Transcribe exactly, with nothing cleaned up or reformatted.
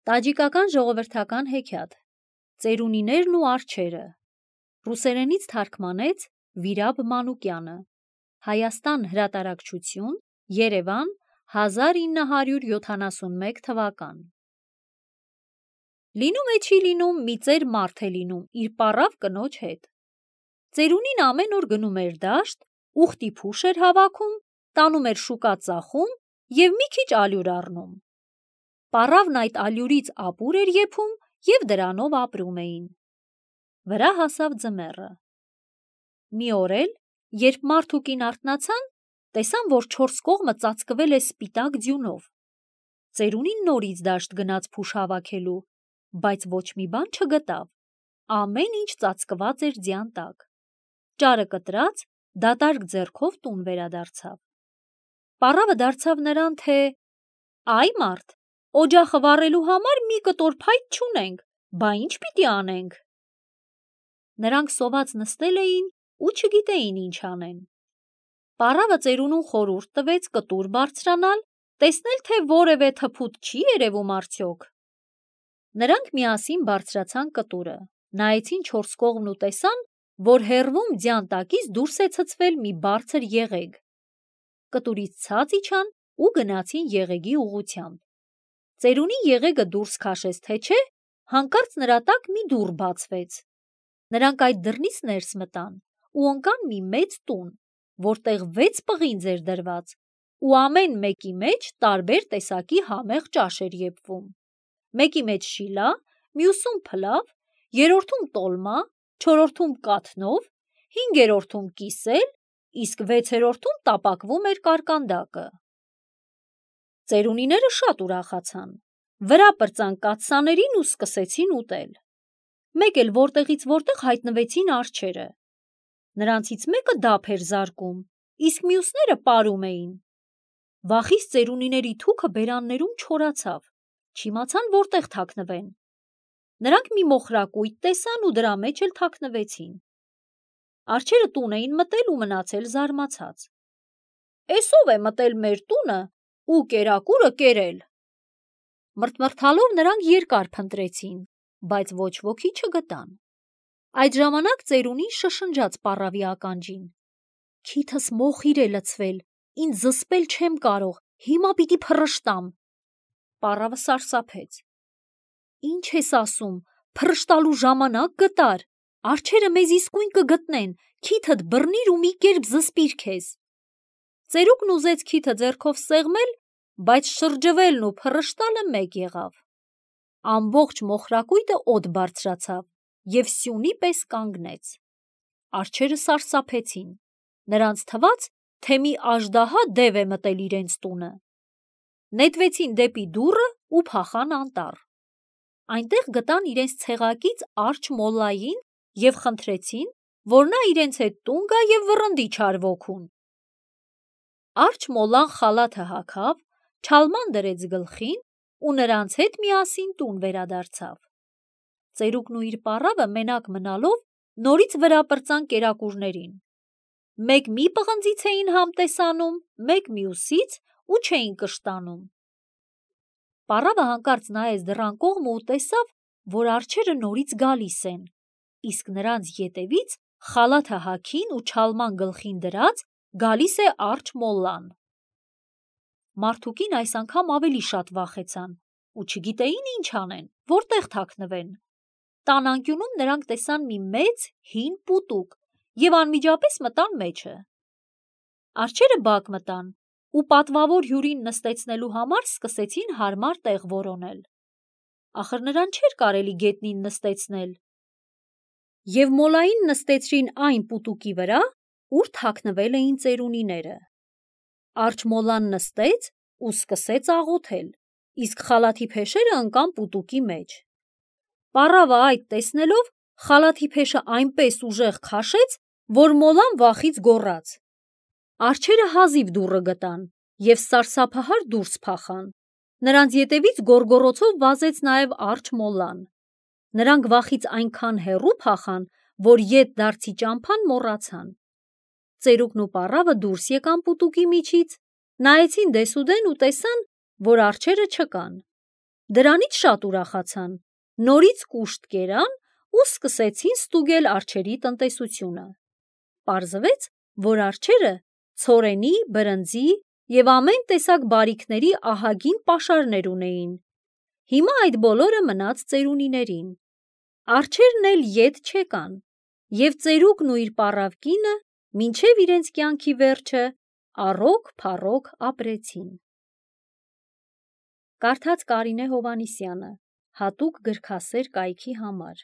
Տաջիկական ժողովրդական հեքիաթ Ծերունիներն ու արջերը Ռուսերենից թարգմանեց Վիրաբ Մանուկյանը Հայաստան հրատարակչություն Երևան հազար ինը հարյուր յոթանասունմեկ թվական Լինում է չի լինում մի ծեր մարդ է լինում իր պառավ կնոջ հետ Ծերունին ամեն օր գնում էր դաշտ ուխտի փուշ էր հավաքում տանում էր շուկա ծախում և մի քիչ ալյուր առնում Պառավն այդ ալյուրից ապուր էր եփում և դրանով ապրում էին Վրա հասավ ձմեռը Մի օր էլ, երբ մարդ ու կին արթնացան, տեսան, որ չորս կողմը ծածկվել է սպիտակ ձյունով Ծերունին նորից դաշտ գնաց փուշ հավաքելու, բայց ոչ մի բան չգտավ, ամեն ինչ ծածկված էր ձյան տակ Ճարը կտրած, դատարկ ձեռքով տուն վերադարձավ Պառավը դարձավ նրան, թե «Այ մարդ, օջախը վառելու համար մի կտոր փայտ չունենք, բա ի՞նչ պիտի անենք»։ Նրանք սոված նստել էին ու չգիտեին ինչ անեն։ Պառավը ծերունուն խորհուրդ տվեց կտուր բարձրանալ, տեսնել, թե որևէ թփուտ չի երևում արդյոք։ Նրանք միասին բարձրացան կտուրը, նայեցին չորս կողմն ու տեսան, որ հեռվում ձյան տակից դուրս է ցցվել մի բարձր եղեգ։ Կտուրից ցած իջան ու գնացին եղեգի ուղղությամբ։ Ծերունի եղեգը դուրս քաշեց, թե չէ, հանկարծ նրա տակ մի դուռ բացվեց։ Նրանք այդ դռնից ներս մտան ու ընկան մի մեծ տուն, որտեղ վեց պղինձ էր դրված, ու ամեն մեկի մեջ տարբեր տեսակի համեղ ճաշ էր եփվում։ Մեկի մեջ շիլա, մյուսում փլավ, երրորդում տոլմա, չորրորդում կաթնով, հինգերորդում կիսել, իսկ վեցերորդում տապակվում էր կարկանդակը։ Ծերունիները շատ ուրախացան, վրա պրծան կաթսաներին ու սկսեցին ուտել։ Մեկ էլ որտեղից որտեղ հայտնվեցին արջերը։ Նրանցից մեկը դափ էր զարկում, իսկ մյուսները պարում էին։ Վախից ծերունիների թուքը բերաններում չորացավ, չիմացան որտեղ թաքնվեն։ Նրանք մի մոխրակույտ տեսան ու դրա մեջ էլ թաքնվեցին։ Արջերը տուն էին մտել ու մնացել զարմացած։ «Էս ո՞վ է մտել մեր տունը ու կերակուրը կերել»։ Մռթմռթալով նրանք երկար փնտրեցին, բայց ոչ ոքի չգտան։ Այդ ժամանակ ծերունին շշնջաց պառավի ականջին. «Քիթս մոխիր է լցվել, ինձ զսպել չեմ կարող, հիմա պիտի փռշտամ»։ Պառավը սարսափեց. «Ինչ ես ասում, փռշտալու ժամանակ գտար, արջերը մեզ իսկույն կգտնեն, քիթդ բռնիր ու մի կերպ զսպիր քեզ»։ Ծերուկն ուզեց քիթը ձեռքով սեղմել, բայց շրջվելն ու փռշտալը մեկ եղավ։ Ամբողջ մոխրակույտը օդ բարձրացավ և սյունի պես կանգնեց։ Արջերը սարսափեցին, նրանց թվաց, թե մի աժդահա դև է մտել իրենց տունը։ Նետվեցին դեպի դուռը ու փախան անտառ։ Այնտեղ գտան իրենց ցեղակից արջ մոլլային և խնդրեցին, որ նա իրենց հետ տուն գա և վռնդի չար ոգուն։ Արջ մոլլան խալաթը հագավ, չալման դրեց գլխին ու նրանց հետ միասին տուն վերադարձավ։ Ծերուկն ու իր պառավը մենակ մնալով նորից վրա պրծան կերակուրներին։ Մեկ մի պղնձից էին համտես անում, մեկ մյուսից ու չէին կշտանում։ Պառավը հանկարծ նայեց դռան կողմը ու տեսավ, որ արջերը նորից գալիս են, իսկ նրանց ետևից խալաթը հագին ու չալման գլխին դրած գալիս է արջ մոլլան։ Մարդ ու կին այս անգամ ավելի շատ վախեցան ու չգիտեին ինչ անեն, որտեղ թաքնվեն։ Տան անկյունում նրանք տեսան մի մեծ հին պուտուկ և անմիջապես մտան մեջը։ Արջերը բակ մտան ու պատվավոր հյուրին նստեցնելու համար սկսեցին հարմար տեղ որոնել։ Ախր նրան չէր կարելի գետնին նստեցնել։ Եվ մոլլային նստեցրին այն պուտուկի վրա, ուր թաքնվել էին ծերունիները։ Արջ մոլլան նստեց ու սկսեց աղոթել, իսկ խալաթի փեշերը ընկան պուտուկի մեջ։ Պառավը այդ տեսնելով խալաթի փեշը այնպես ուժեղ քաշեց, որ մոլլան վախից գոռաց։ Արջերը հազիվ դուռը գտան և սարսափահար դուրս փախան։ Նրանց ետևից գոռգոռոցով վազեց նաև արջ մոլլան։ Նրանք վախից այնքան հեռու փախան, որ ետդարձի ճամփան մոռացան։ Ծերուկն ու պառավը դուրս եկան պուտուկի միջից, նայեցին դեսուդեն ու տեսան, որ արջերը չկան։ Դրանից շատ ուրախացան, նորից կուշտ կերան ու սկսեցին ստուգել արջերի տնտեսությունը։ Պարզվեց, որ արջերը ցորենի, բրնձի և ամեն տեսակ բարիքների ահագին պաշարներ ունեին։ Հիմա այդ բոլորը մնաց ծերունիներին։ Արջերն էլ ետ չեկան, և ծերուկն ու իր պառավ կինը մինչև իրենց կյանքի վերջը առոք-փառոք ապրեցին։ Կարդաց Կարինե Հովհաննիսյանը, հատուկ գրքասեր կայքի համար։